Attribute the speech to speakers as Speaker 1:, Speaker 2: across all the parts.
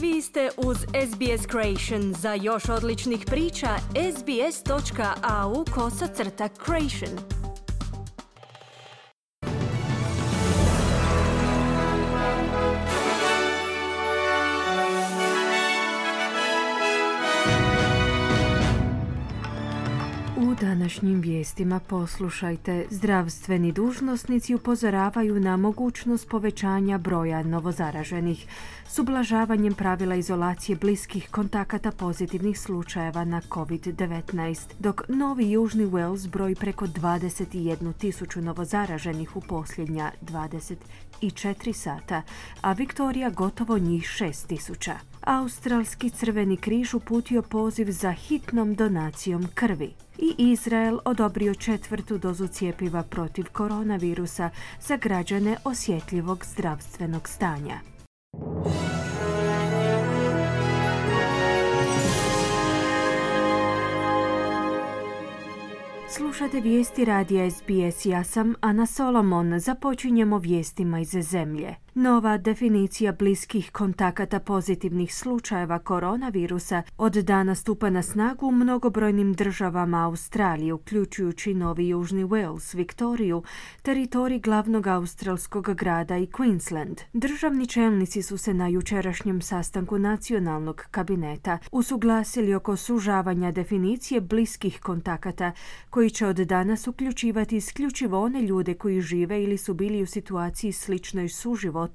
Speaker 1: Vi ste uz SBS Creation. Za još odličnih priča, sbs.au/creation.
Speaker 2: U današnjim vijestima poslušajte. Zdravstveni dužnosnici upozoravaju na mogućnost povećanja broja novozaraženih s ublažavanjem pravila izolacije bliskih kontakata pozitivnih slučajeva na COVID-19, dok Novi Južni Wales broji preko 21.000 novozaraženih u posljednja 24 sata, a Viktorija gotovo njih 6.000. Australski Crveni križ uputio poziv za hitnom donacijom krvi. I Izrael odobrio 4. dozu cjepiva protiv koronavirusa za građane osjetljivog zdravstvenog stanja. Slušate vijesti radija SBS. Ja sam Ana Solomon. Započinjemo vijestima iz zemlje. Nova definicija bliskih kontakata pozitivnih slučajeva koronavirusa od dana stupa na snagu u mnogobrojnim državama Australije, uključujući Novi Južni Wales, Viktoriju, teritorij glavnog australskog grada i Queensland. Državni čelnici su se na jučerašnjem sastanku nacionalnog kabineta usuglasili oko sužavanja definicije bliskih kontakata, koji će od danas uključivati isključivo one ljude koji žive ili su bili u situaciji sličnoj suživotu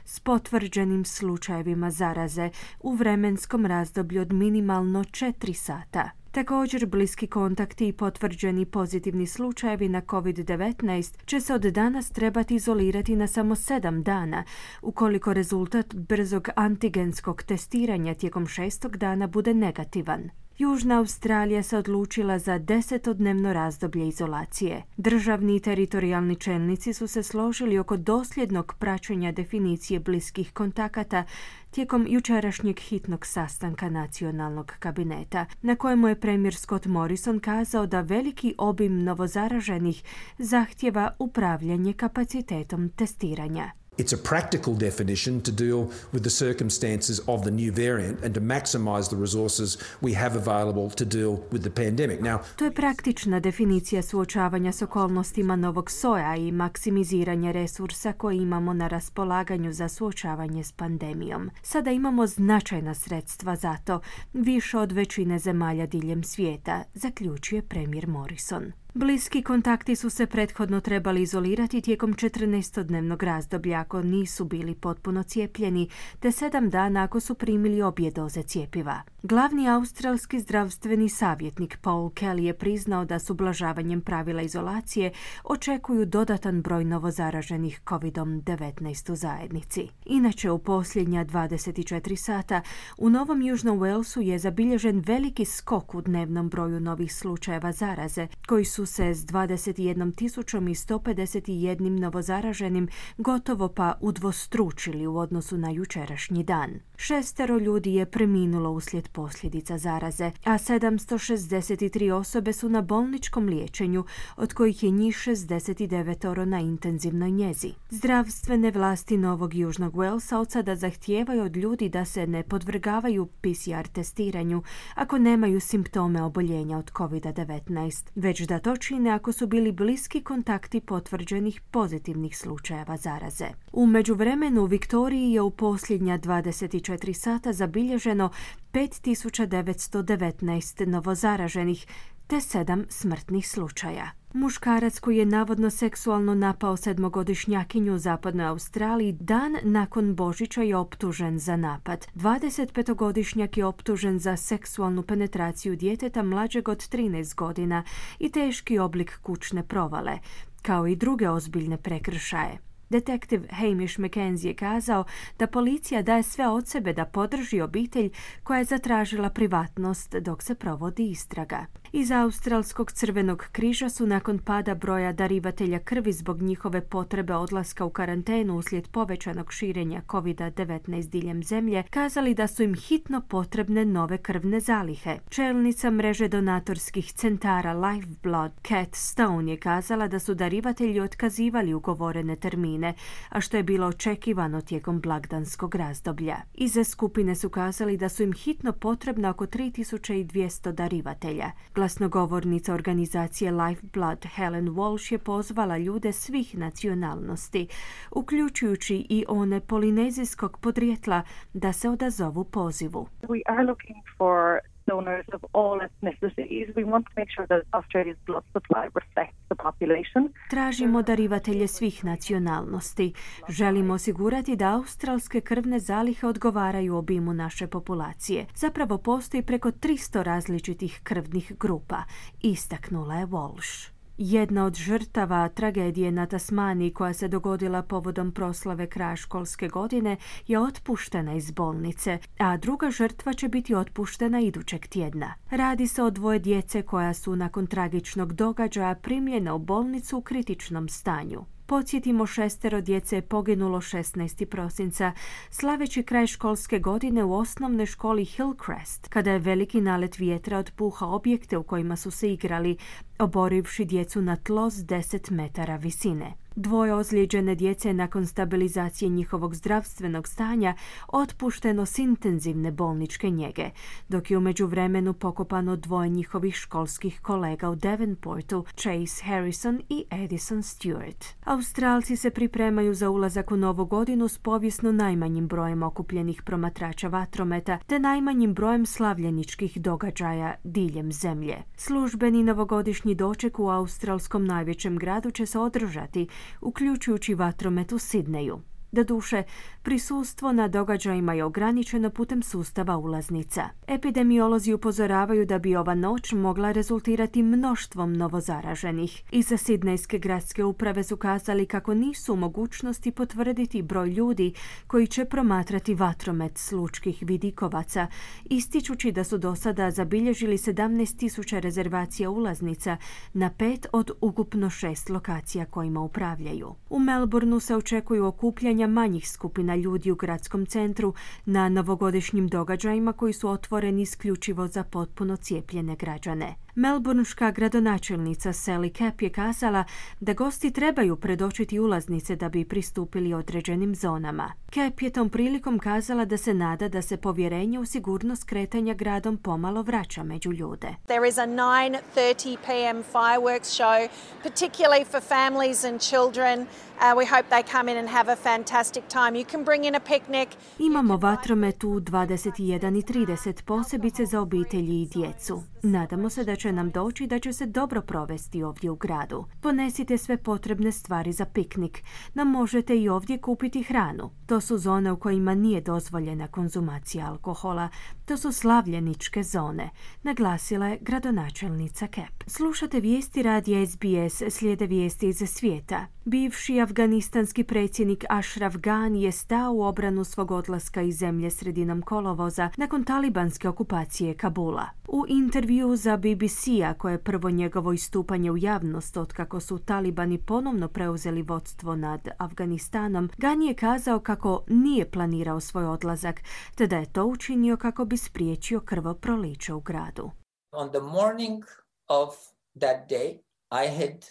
Speaker 2: s potvrđenim slučajevima zaraze u vremenskom razdoblju od minimalno 4 sata. Također, bliski kontakti i potvrđeni pozitivni slučajevi na COVID-19 će se od danas trebati izolirati na samo 7 dana, ukoliko rezultat brzog antigenskog testiranja tijekom 6. dana bude negativan. Južna Australija se odlučila za 10-dnevno razdoblje izolacije. Državni i teritorijalni čelnici su se složili oko dosljednog praćenja definicije bliskih kontakata tijekom jučerašnjeg hitnog sastanka nacionalnog kabineta, na kojemu je premijer Scott Morrison kazao da veliki obim novozaraženih zahtjeva upravljanje kapacitetom testiranja.
Speaker 3: It's a practical definition to deal with the circumstances of the new variant and to maximise the resources we have available to deal with the pandemic.
Speaker 2: To je praktična definicija suočavanja s okolnostima novog soja i maksimiziranja resursa koje imamo na raspolaganju za suočavanje s pandemijom. Sada imamo značajna sredstva za to, više od većine zemalja diljem svijeta, zaključuje premijer Morrison. Bliski kontakti su se prethodno trebali izolirati tijekom 14-dnevnog razdoblja ako nisu bili potpuno cijepljeni, te 7 dana ako su primili obje doze cjepiva. Glavni australski zdravstveni savjetnik Paul Kelly je priznao da s ublažavanjem pravila izolacije očekuju dodatan broj novozaraženih COVID-19 u zajednici. Inače, u posljednja 24 sata u Novom Južnom Walesu je zabilježen veliki skok u dnevnom broju novih slučajeva zaraze, koji su se s 21.151 novozaraženim gotovo pa udvostručili u odnosu na jučerašnji dan. 6 ljudi je preminulo uslijed posljedica zaraze, a 763 osobe su na bolničkom liječenju, od kojih je njih 69 na intenzivnoj njezi. Zdravstvene vlasti Novog Južnog Walesa od sada zahtijevaju od ljudi da se ne podvrgavaju PCR testiranju ako nemaju simptome oboljenja od COVID-19, već da to čine ako su bili bliski kontakti potvrđenih pozitivnih slučajeva zaraze. U međuvremenu u Viktoriji je u posljednja 24 sata zabilježeno 5.919 novozaraženih te 7 smrtnih slučaja. Muškarac koji je navodno seksualno napao 7-godišnjakinju u zapadnoj Australiji dan nakon Božića je optužen za napad. 25-godišnjak je optužen za seksualnu penetraciju djeteta mlađeg od 13 godina i teški oblik kućne provale, kao i druge ozbiljne prekršaje. Detektiv Hamish McKenzie je kazao da policija daje sve od sebe da podrži obitelj koja je zatražila privatnost dok se provodi istraga. Iz Australskog crvenog križa su nakon pada broja darivatelja krvi zbog njihove potrebe odlaska u karantenu uslijed povećanog širenja COVID-19 diljem zemlje kazali da su im hitno potrebne nove krvne zalihe. Čelnica mreže donatorskih centara Lifeblood, Kat Stone, je kazala da su darivatelji otkazivali ugovorene termine, a što je bilo očekivano tijekom blagdanskog razdoblja. Iza skupine su kazali da su im hitno potrebna oko 3200 darivatelja. Glasnogovornica organizacije Lifeblood, Helen Walsh, je pozvala ljude svih nacionalnosti, uključujući i one polinezijskog podrijetla, da se odazovu pozivu.
Speaker 4: We are looking for donors of all ethnicities. We want to make sure that Australia's blood supply reflects the population.
Speaker 2: Tražimo darivatelje svih nacionalnosti. Želimo osigurati da australske krvne zalihe odgovaraju obimu naše populacije. Zapravo postoji preko 300 različitih krvnih grupa, istaknula je Walsh. Jedna od žrtava tragedije na Tasmaniji koja se dogodila povodom proslave kraja školske godine je otpuštena iz bolnice, a druga žrtva će biti otpuštena idućeg tjedna. Radi se o dvoje djece koja su nakon tragičnog događaja primljena u bolnicu u kritičnom stanju. Podsjetimo, 6 djece je poginulo 16. prosinca slaveći kraj školske godine u osnovnoj školi Hillcrest, kada je veliki nalet vjetra otpuhao objekte u kojima su se igrali, oborivši djecu na tlo s 10 metara visine. Dvoje ozlijeđene djece nakon stabilizacije njihovog zdravstvenog stanja otpušteno s intenzivne bolničke njege, dok je u međuvremenu pokopano dvoje njihovih školskih kolega u Devonportu, Chase Harrison i Edison Stewart. Australci se pripremaju za ulazak u novu godinu s povijesno najmanjim brojem okupljenih promatrača vatrometa te najmanjim brojem slavljeničkih događaja diljem zemlje. Službeni novogodišnji doček u australskom najvećem gradu će se održati, uključujući vatromet u Sidneju. Doduše, prisustvo na događajima je ograničeno putem sustava ulaznica. Epidemiolozi upozoravaju da bi ova noć mogla rezultirati mnoštvom novozaraženih. Iza Sidnejske gradske uprave su kazali kako nisu u mogućnosti potvrditi broj ljudi koji će promatrati vatromet s lučkih vidikovaca, ističući da su do sada zabilježili 17.000 rezervacija ulaznica na 5 od ukupno 6 lokacija kojima upravljaju. U Melbourneu se očekuju okupljanja manjih skupina ljudi u gradskom centru na novogodišnjim događajima koji su otvoreni isključivo za potpuno cijepljene građane. Melbourneška gradonačelnica Sally Capp je kazala da gosti trebaju predočiti ulaznice da bi pristupili određenim zonama. Capp je tom prilikom kazala da se nada da se povjerenje u sigurnost kretanja gradom pomalo vraća među ljude.
Speaker 5: There is a 9:30 p.m. fireworks show, particularly for families and children. We hope they come in and have a fantastic time. You can bring in a picnic.
Speaker 2: Imamo vatromet u 21:30, posebice za obitelji i djecu. Nadamo se da će nam doći da će se dobro provesti ovdje u gradu. Ponesite sve potrebne stvari za piknik. Nam možete i ovdje kupiti hranu. To su zone u kojima nije dozvoljena konzumacija alkohola. To su slavljeničke zone, naglasila je gradonačelnica Capp. Slušate vijesti radija SBS, slijede vijesti iz svijeta. Bivši afganistanski predsjednik Ashraf Ghani je stao u obranu svog odlaska iz zemlje sredinom kolovoza nakon talibanske okupacije Kabula. U intervju za BBC-a, koje je prvo njegovo istupanje u javnost otkako su talibani ponovno preuzeli vodstvo nad Afganistanom, Ghani je kazao kako nije planirao svoj odlazak, te da je to učinio kako bi spriječio krvoproliće u gradu.
Speaker 6: On the morning of that day, I had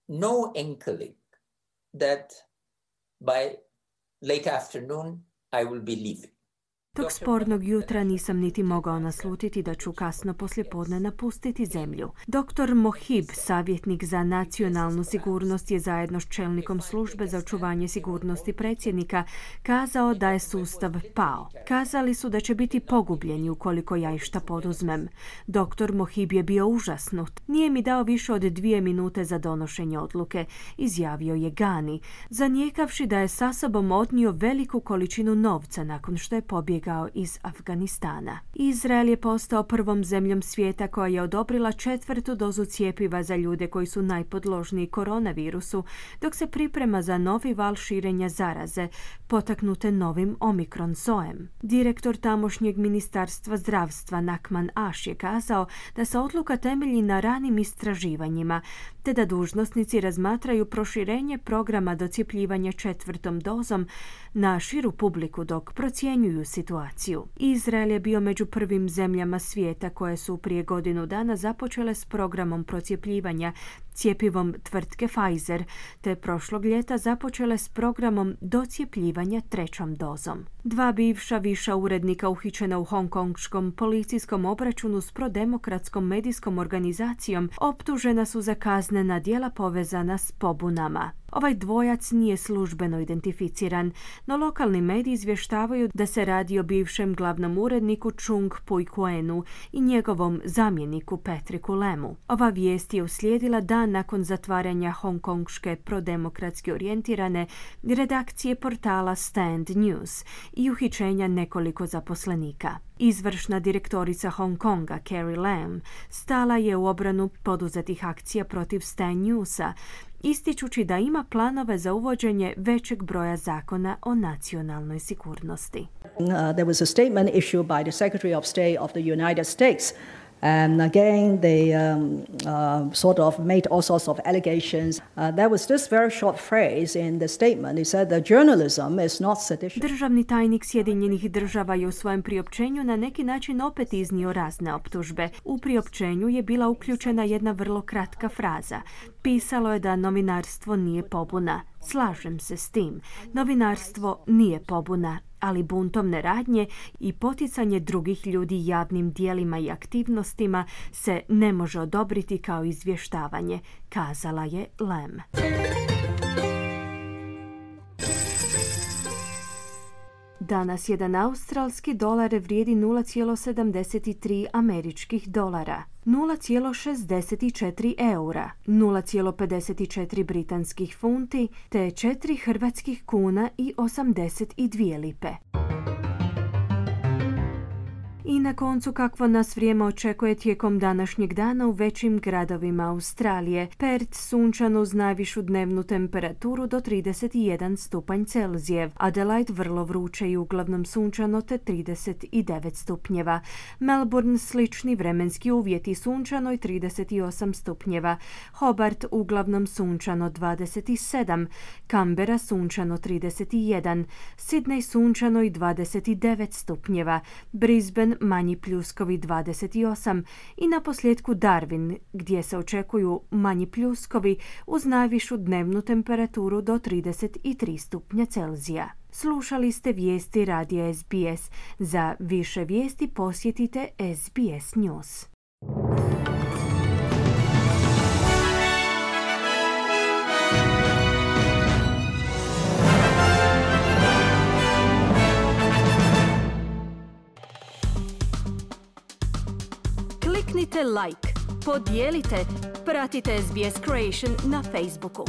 Speaker 6: no inkling that by late afternoon I will be leaving.
Speaker 2: Tog spornog jutra nisam niti mogao naslutiti da ću kasno poslijepodne napustiti zemlju. Dr. Mohib, savjetnik za nacionalnu sigurnost, je zajedno s čelnikom službe za očuvanje sigurnosti predsjednika kazao da je sustav pao. Kazali su da će biti pogubljeni ukoliko ja išta poduzmem. Dr. Mohib je bio užasnut. Nije mi dao više od 2 minute za donošenje odluke, izjavio je Ghani, zanijekavši da je sa sobom odnio veliku količinu novca nakon što je pobjegao pobjegao iz Afganistana. Izrael je postao prvom zemljom svijeta koja je odobrila 4. dozu cjepiva za ljude koji su najpodložniji koronavirusu, dok se priprema za novi val širenja zaraze, potaknute novim Omikron sojem. Direktor tamošnjeg ministarstva zdravstva Nakman Ash je kazao da se odluka temelji na ranim istraživanjima, te da dužnosnici razmatraju proširenje programa docjepljivanja 4. dozom na širu publiku dok procjenjuju situaciju. Izrael je bio među prvim zemljama svijeta koje su prije godinu dana započele s programom procjepljivanja cjepivom tvrtke Pfizer, te prošlog ljeta započele s programom docjepljivanja 3. dozom. 2 bivša viša urednika uhićena u hongkongskom policijskom obračunu s prodemokratskom medijskom organizacijom optužena su za kaznena djela povezana s pobunama. Ovaj dvojac nije službeno identificiran, no lokalni mediji izvještavaju da se radi o bivšem glavnom uredniku Chung Pui-kuenu i njegovom zamjeniku Patricku Lemu. Ova vijest je uslijedila dan nakon zatvaranja hongkongške prodemokratski orijentirane redakcije portala Stand News i uhićenja nekoliko zaposlenika. Izvršna direktorica Hong Konga, Carrie Lam, stala je u obranu poduzetih akcija protiv Stand Newsa, ističući da ima planove za uvođenje većeg broja zakona o nacionalnoj sigurnosti.
Speaker 7: There was a statement issued by the Secretary of State of the United States. And again, they sort of made all sorts of allegations. There was this very short phrase in the statement. He said that journalism is not sedition.
Speaker 2: Državni tajnik Sjedinjenih država je u svojem priopćenju na neki način opet iznio razne optužbe. U priopćenju je bila uključena jedna vrlo kratka fraza. Pisalo je da novinarstvo nije pobuna. Slažem se s tim. Novinarstvo nije pobuna, ali buntovne radnje i poticanje drugih ljudi javnim dijelima i aktivnostima se ne može odobriti kao izvještavanje, kazala je Lam. Danas jedan australski dolar vrijedi 0,73 američkih dolara, 0,64 eura, 0,54 britanskih funti te 4 hrvatskih kuna i 82 lipe. I na koncu kakvo nas vrijeme očekuje tijekom današnjeg dana u većim gradovima Australije. Perth sunčano uz najvišu dnevnu temperaturu do 31 stupanj Celzijev. Adelaide vrlo vruće i uglavnom sunčano te 39 stupnjeva. Melbourne slični vremenski uvjeti sunčano i 38 stupnjeva. Hobart uglavnom sunčano 27. Canberra sunčano 31. Sydney sunčano i 29 stupnjeva. Brisbane manji pljuskovi 28 i na posljedku Darwin gdje se očekuju manji pljuskovi uz najvišu dnevnu temperaturu do 33 stupnja Celzija. Slušali ste vijesti radija SBS. Za više vijesti posjetite SBS News.
Speaker 1: Kliknite like, podijelite, pratite SBS Creation na Facebooku.